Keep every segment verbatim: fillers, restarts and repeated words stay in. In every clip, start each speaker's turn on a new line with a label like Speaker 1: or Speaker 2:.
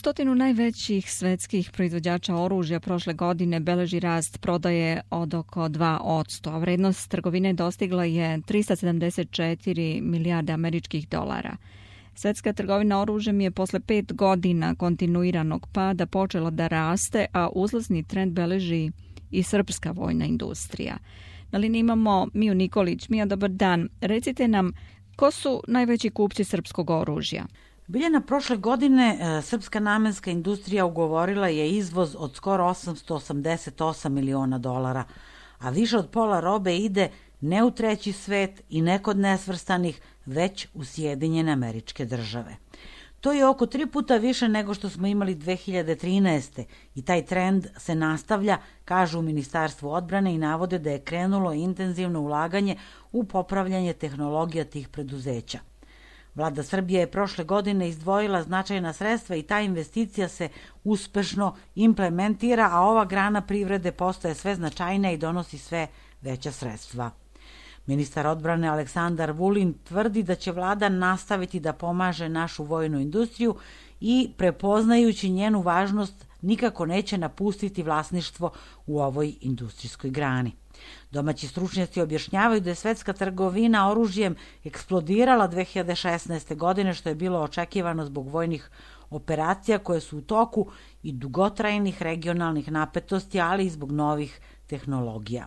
Speaker 1: Stotinu najvećih svetskih proizvođača oružja prošle godine beleži rast prodaje od oko dva posto, a vrednost trgovine dostigla je trista sedamdeset četiri milijarde američkih dolara. Svetska trgovina oružjem je posle pet godina kontinuiranog pada počela da raste, a uzlazni trend beleži i srpska vojna industrija. Na liniji imamo Miju Nikolić. Mija, dobar dan. Recite nam, ko su najveći kupci srpskog oružja?
Speaker 2: Biljana, prošle godine srpska namenska industrija ugovorila je izvoz od skoro osamsto osamdeset osam miliona dolara, a više od pola robe ide ne u treći svet i ne kod nesvrstanih, već u Sjedinjene Američke Države. To je oko tri puta više nego što smo imali dve hiljade trinaeste. i taj trend se nastavlja, kažu u Ministarstvu odbrane, i navode da je krenulo intenzivno ulaganje u popravljanje tehnologija tih preduzeća. Vlada Srbije je prošle godine izdvojila značajna sredstva i ta investicija se uspešno implementira, a ova grana privrede postaje sve značajnija i donosi sve veća sredstva. Ministar odbrane Aleksandar Vulin tvrdi da će vlada nastaviti da pomaže našu vojnu industriju i, prepoznajući njenu važnost, nikako neće napustiti vlasništvo u ovoj industrijskoj grani. Domaći stručnjaci objašnjavaju da je svetska trgovina oružjem eksplodirala dve hiljade šesnaeste. godine, što je bilo očekivano zbog vojnih operacija koje su u toku i dugotrajnih regionalnih napetosti, ali i zbog novih tehnologija.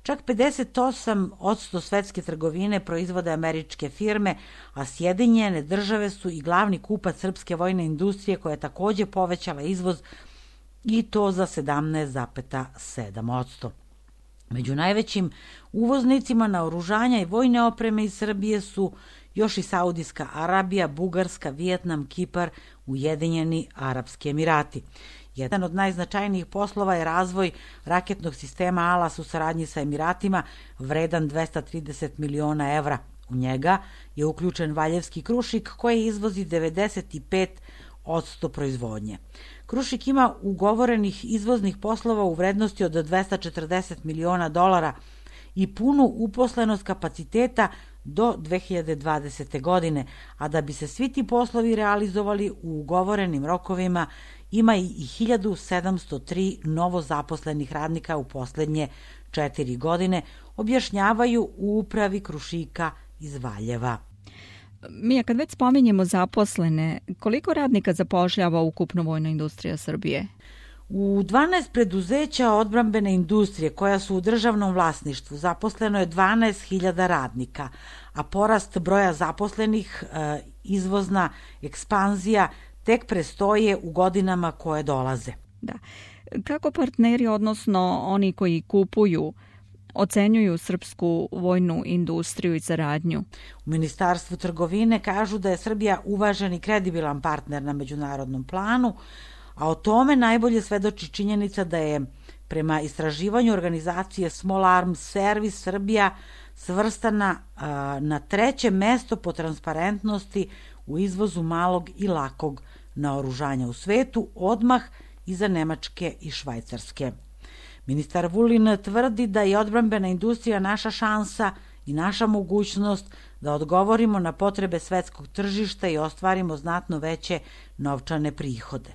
Speaker 2: Čak pedeset osam posto svetske trgovine proizvode američke firme, a Sjedinjene Države su i glavni kupac srpske vojne industrije, koja je takođe povećala izvoz i to za sedamnaest zarez sedam posto. Među najvećim uvoznicima naoružanja i vojne opreme iz Srbije su još i Saudijska Arabija, Bugarska, Vijetnam, Kipar, Ujedinjeni Arapski Emirati. Jedan od najznačajnijih poslova je razvoj raketnog sistema Alas u saradnji sa Emiratima, vredan dvesta trideset miliona evra. U njega je uključen Valjevski Krušik, koji izvozi devedeset pet posto proizvodnje. Krušik ima ugovorenih izvoznih poslova u vrednosti od dvesta četrdeset miliona dolara i punu uposlenost kapaciteta do dve hiljade dvadesete. godine, a da bi se svi ti poslovi realizovali u ugovorenim rokovima, ima i hiljadu sedamsto tri novo zaposlenih radnika u poslednje četiri godine, objašnjavaju u upravi Krušika iz Valjeva.
Speaker 1: Mija, kad već spominjemo zaposlene, koliko radnika zapošljava ukupno vojna industrija Srbije?
Speaker 2: U dvanaest preduzeća odbrambene industrije koja su u državnom vlasništvu zaposleno je dvanaest hiljada radnika, a porast broja zaposlenih, izvozna ekspanzija tek prestoje u godinama koje dolaze.
Speaker 1: Da. Kako partneri, odnosno oni koji kupuju, ocenjuju srpsku vojnu industriju i saradnju?
Speaker 2: U Ministarstvu trgovine kažu da je Srbija uvažen i kredibilan partner na međunarodnom planu, a o tome najbolje svedoči činjenica da je prema istraživanju organizacije Small Arms Service Srbija svrstana a, na treće mesto po transparentnosti u izvozu malog i lakog naoružanja u svetu, odmah iza Nemačke i Švajcarske. Ministar Vulin tvrdi da je odbrambena industrija naša šansa i naša mogućnost da odgovorimo na potrebe svetskog tržišta i ostvarimo znatno veće novčane prihode.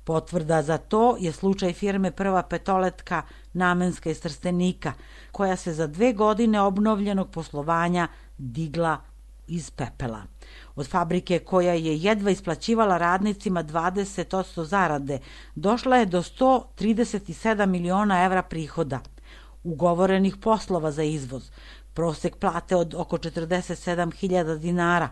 Speaker 2: Potvrda za to je slučaj firme Prva petoletka namenska iz Trstenika, koja se za dve godine obnovljenog poslovanja digla iz pepela. Od fabrike koja je jedva isplaćivala radnicima dvadeset posto zarade, došla je do sto trideset sedam miliona evra prihoda, ugovorenih poslova za izvoz, prosek plate od oko četrdeset sedam hiljada dinara.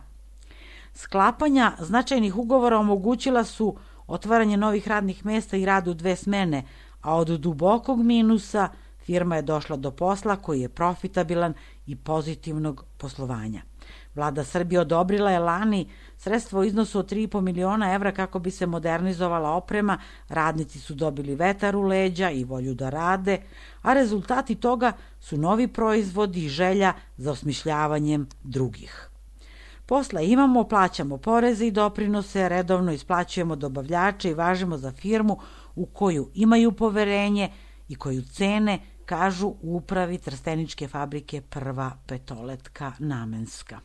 Speaker 2: Sklapanja značajnih ugovora omogućila su otvaranje novih radnih mesta i rad u dve smene, a od dubokog minusa firma je došla do posla koji je profitabilan i pozitivnog poslovanja. Vlada Srbije odobrila je lani sredstvo u iznosu od tri i po miliona evra kako bi se modernizovala oprema, radnici su dobili vetar u leđa i volju da rade, a rezultati toga su novi proizvodi i želja za osmišljavanjem drugih. Posla imamo, plaćamo poreze i doprinose, redovno isplaćujemo dobavljače i važimo za firmu u koju imaju poverenje i koju cene, kažu u upravi Trsteničke fabrike Prva petoletka namenska.